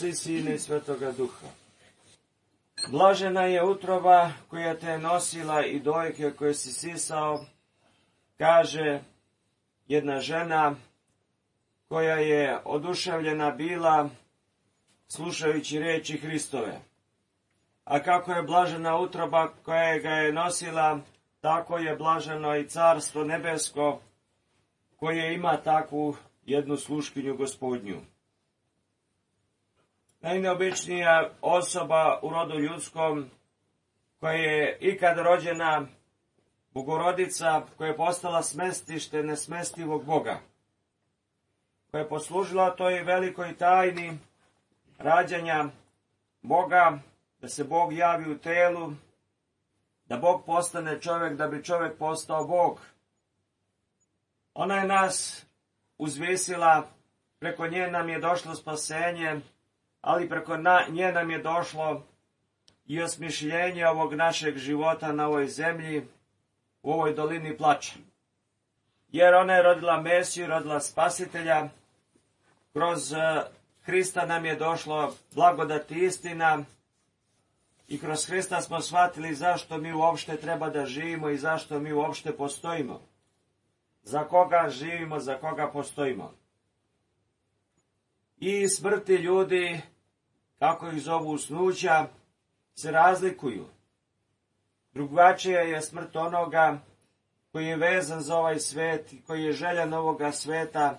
Oca i Sina i Svetoga Duha. Blažena je utroba koja te je nosila i dojke koje si sisao, kaže jedna žena koja je oduševljena bila slušajući riječi Hristove. A kako je blažena utroba koja ga je nosila, tako je blaženo i Carstvo nebesko koje ima takvu jednu sluškinju Gospodnju. Najneobičnija osoba u rodu ljudskom koja je ikad rođena, Bogorodica, koja je postala smestište nesmestivog Boga, koja je poslužila toj velikoj tajni rađanja Boga, da se Bog javi u telu, da Bog postane čovjek, da bi čovjek postao Bog. Ona je nas uzvisila, preko nje nam je došlo spasenje, ali preko nje nam je došlo i osmišljenje ovog našeg života na ovoj zemlji, u ovoj dolini plača. Jer ona je rodila Mesiju, rodila Spasitelja, kroz Hrista nam je došlo blagodat i istina i kroz Hrista smo shvatili zašto mi uopšte treba da živimo i zašto mi uopšte postojimo. Za koga živimo, za koga postojimo. I smrti ljudi, kako ih zovu usnuća, se razlikuju. Drugačija je smrt onoga koji je vezan za ovaj svet, koji je željan ovoga sveta,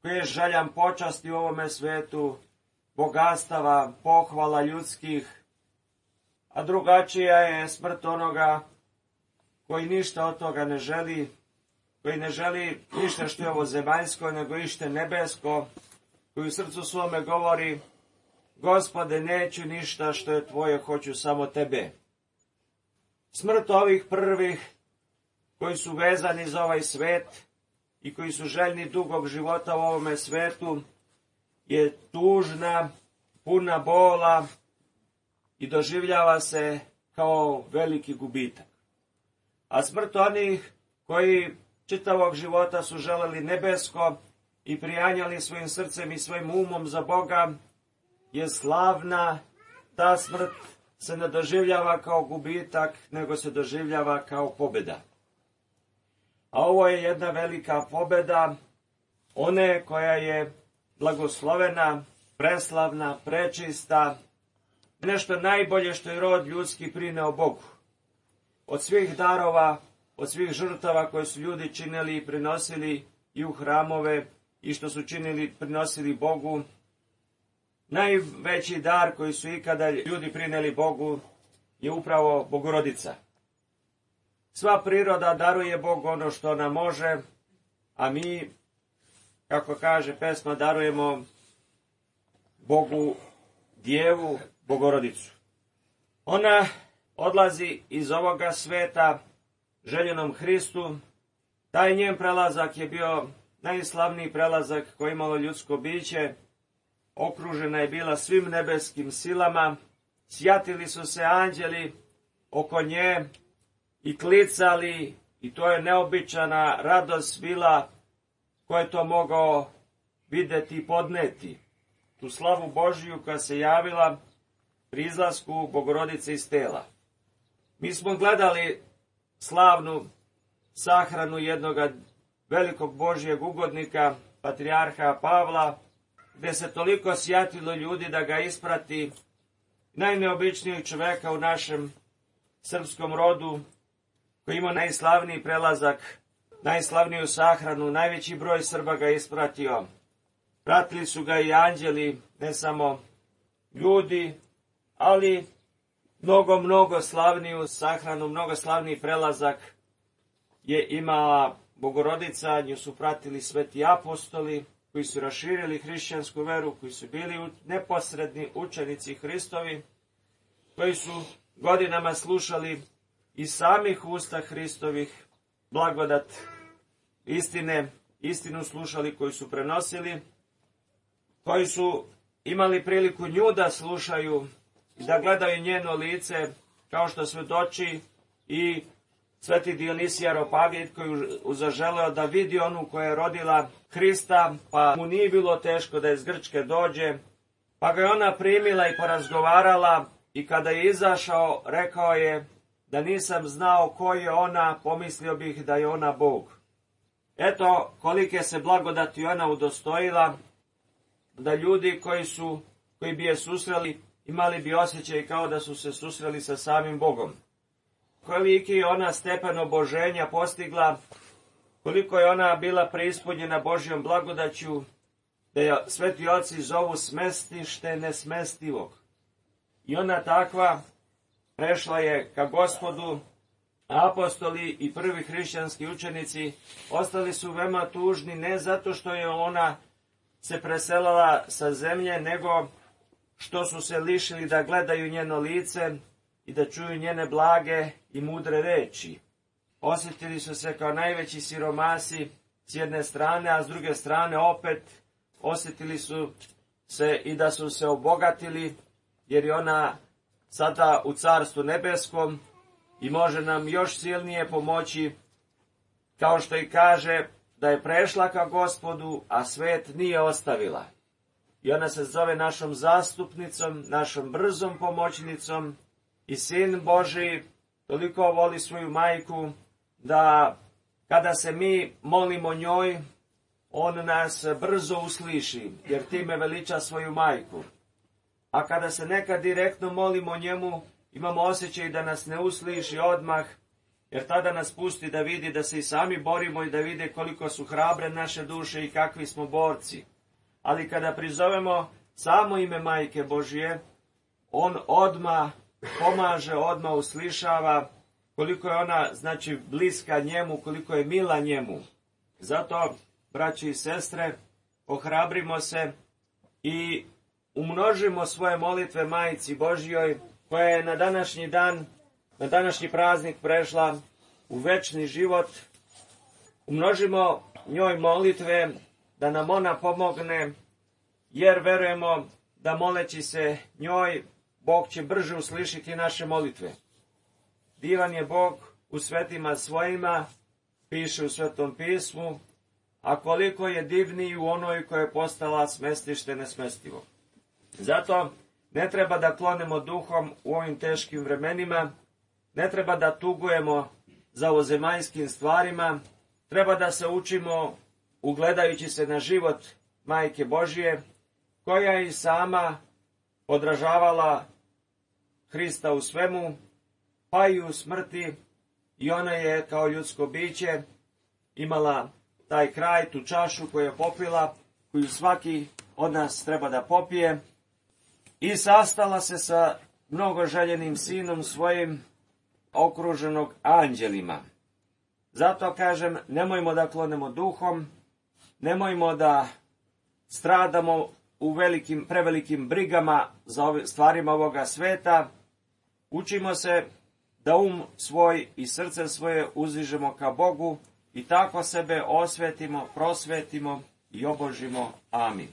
koji je željan počasti u ovome svetu, bogatstava, pohvala ljudskih, a drugačija je smrt onoga koji ništa od toga ne želi, koji ne želi ništa što je ovo zemaljsko, nego ište nebesko, koji u srcu svome govori: Gospode, neću ništa što je tvoje, hoću samo tebe. Smrt ovih prvih, koji su vezani za ovaj svet i koji su željni dugog života u ovome svetu, je tužna, puna bola i doživljava se kao veliki gubitak. A smrt onih koji čitavog života su želeli nebesko i prijanjali svojim srcem i svojim umom za Boga, je slavna. Ta smrt se ne doživljava kao gubitak, nego se doživljava kao pobjeda. A ovo je jedna velika pobjeda, one koja je blagoslovena, preslavna, prečista, nešto najbolje što je rod ljudski prineo Bogu. Od svih darova, od svih žrtava koje su ljudi činili i prinosili i u hramove i što su činili, prinosili Bogu, najveći dar koji su ikada ljudi prineli Bogu je upravo Bogorodica. Sva priroda daruje Bogu ono što ona može, a mi, kako kaže pesma, darujemo Bogu Djevu, Bogorodicu. Ona odlazi iz ovoga sveta željenom Hristu. Taj njen prelazak je bio najslavniji prelazak koji je imalo ljudsko biće. Okružena je bila svim nebeskim silama, sjatili su se anđeli oko nje i klicali, i to je neobičana radost bila, ko je to mogao vidjeti i podneti. Tu slavu Božiju koja se javila pri izlasku Bogorodice iz tela. Mi smo gledali slavnu sahranu jednog velikog Božijeg ugodnika, patrijarha Pavla, gdje se toliko sjatilo ljudi da ga isprati, najneobičnijeg čoveka u našem srpskom rodu, koji ima najslavniji prelazak, najslavniju sahranu, najveći broj Srba ga ispratio. Pratili su ga i anđeli, ne samo ljudi, ali mnogo slavniju sahranu, mnogo slavniji prelazak je imala Bogorodica, nju su pratili sveti apostoli, koji su raširili hrišćansku veru, koji su bili neposredni učenici Hristovi, koji su godinama slušali iz samih usta Hristovih blagodat istinu slušali, koji su prenosili, koji su imali priliku nju da slušaju i da gledaju njeno lice, kao što svedoči i sveti Dionisije Areopagit, koji je zaželeo da vidi onu koja je rodila Hrista, pa mu nije bilo teško da iz Grčke dođe Pa ga je ona primila i porazgovarala, i kada je izašao, rekao je, da nisam znao ko je ona, pomislio bih da je ona Bog. Eto kolike se blagodati ona udostojila, da ljudi koji bi je susreli, imali bi osjećaj kao da su se susreli sa samim Bogom. Koliki je ona stepen oboženja postigla, koliko je ona bila preispunjena Božjom blagodaću, da je sveti oci zovu smestište nesmestivog. I ona takva prešla je ka Gospodu, a apostoli i prvi hrišćanski učenici ostali su veoma tužni, ne zato što je ona se preselila sa zemlje, nego što su se lišili da gledaju njeno lice i da čuju njene blage i mudre reči. Osjetili su se kao najveći siromasi s jedne strane, a s druge strane opet osjetili su se i da su se obogatili, jer je ona sada u Carstvu nebeskom i može nam još silnije pomoći, kao što i kaže da je prešla ka Gospodu, a svet nije ostavila. I ona se zove našom zastupnicom, našom brzom pomoćnicom, i Sin Božji toliko voli svoju majku, da kada se mi molimo njoj, on nas brzo usliši, jer time veliča svoju majku. A kada se nekad direktno molimo njemu, imamo osjećaj da nas ne usliši odmah, jer tada nas pusti da vidi da se i sami borimo i da vide koliko su hrabre naše duše i kakvi smo borci. Ali kada prizovemo samo ime Majke Božje, on odmah pomaže, odmah uslišava, koliko je ona, znači, bliska njemu, koliko je mila njemu. Zato, braći i sestre, ohrabrimo se i umnožimo svoje molitve Majci Božjoj, koja je na današnji dan, na današnji praznik prešla u večni život. Umnožimo njoj molitve da nam ona pomogne, jer verujemo da moleći se njoj, Bog će brže uslišiti naše molitve. Divan je Bog u svetima svojima, piše u Svetom pismu, a koliko je divniji u onoj koja je postala smestište nesmestivo. Zato ne treba da klonemo duhom u ovim teškim vremenima, ne treba da tugujemo za ovozemaljskim stvarima, treba da se učimo ugledajući se na život Majke Božje, koja je i sama odražavala Hrista u svemu, pa i u smrti, i ona je kao ljudsko biće imala taj kraj, tu čašu koju je popila, koju svaki od nas treba da popije, i sastala se sa mnogo željenim sinom svojim, okruženog anđelima. Zato kažem, nemojmo da klonemo duhom, nemojmo da stradamo u prevelikim brigama za stvarima ovoga sveta. Učimo se da svoj i srce svoje uzdižemo ka Bogu i tako sebe osvetimo, prosvetimo i obožimo. Amin.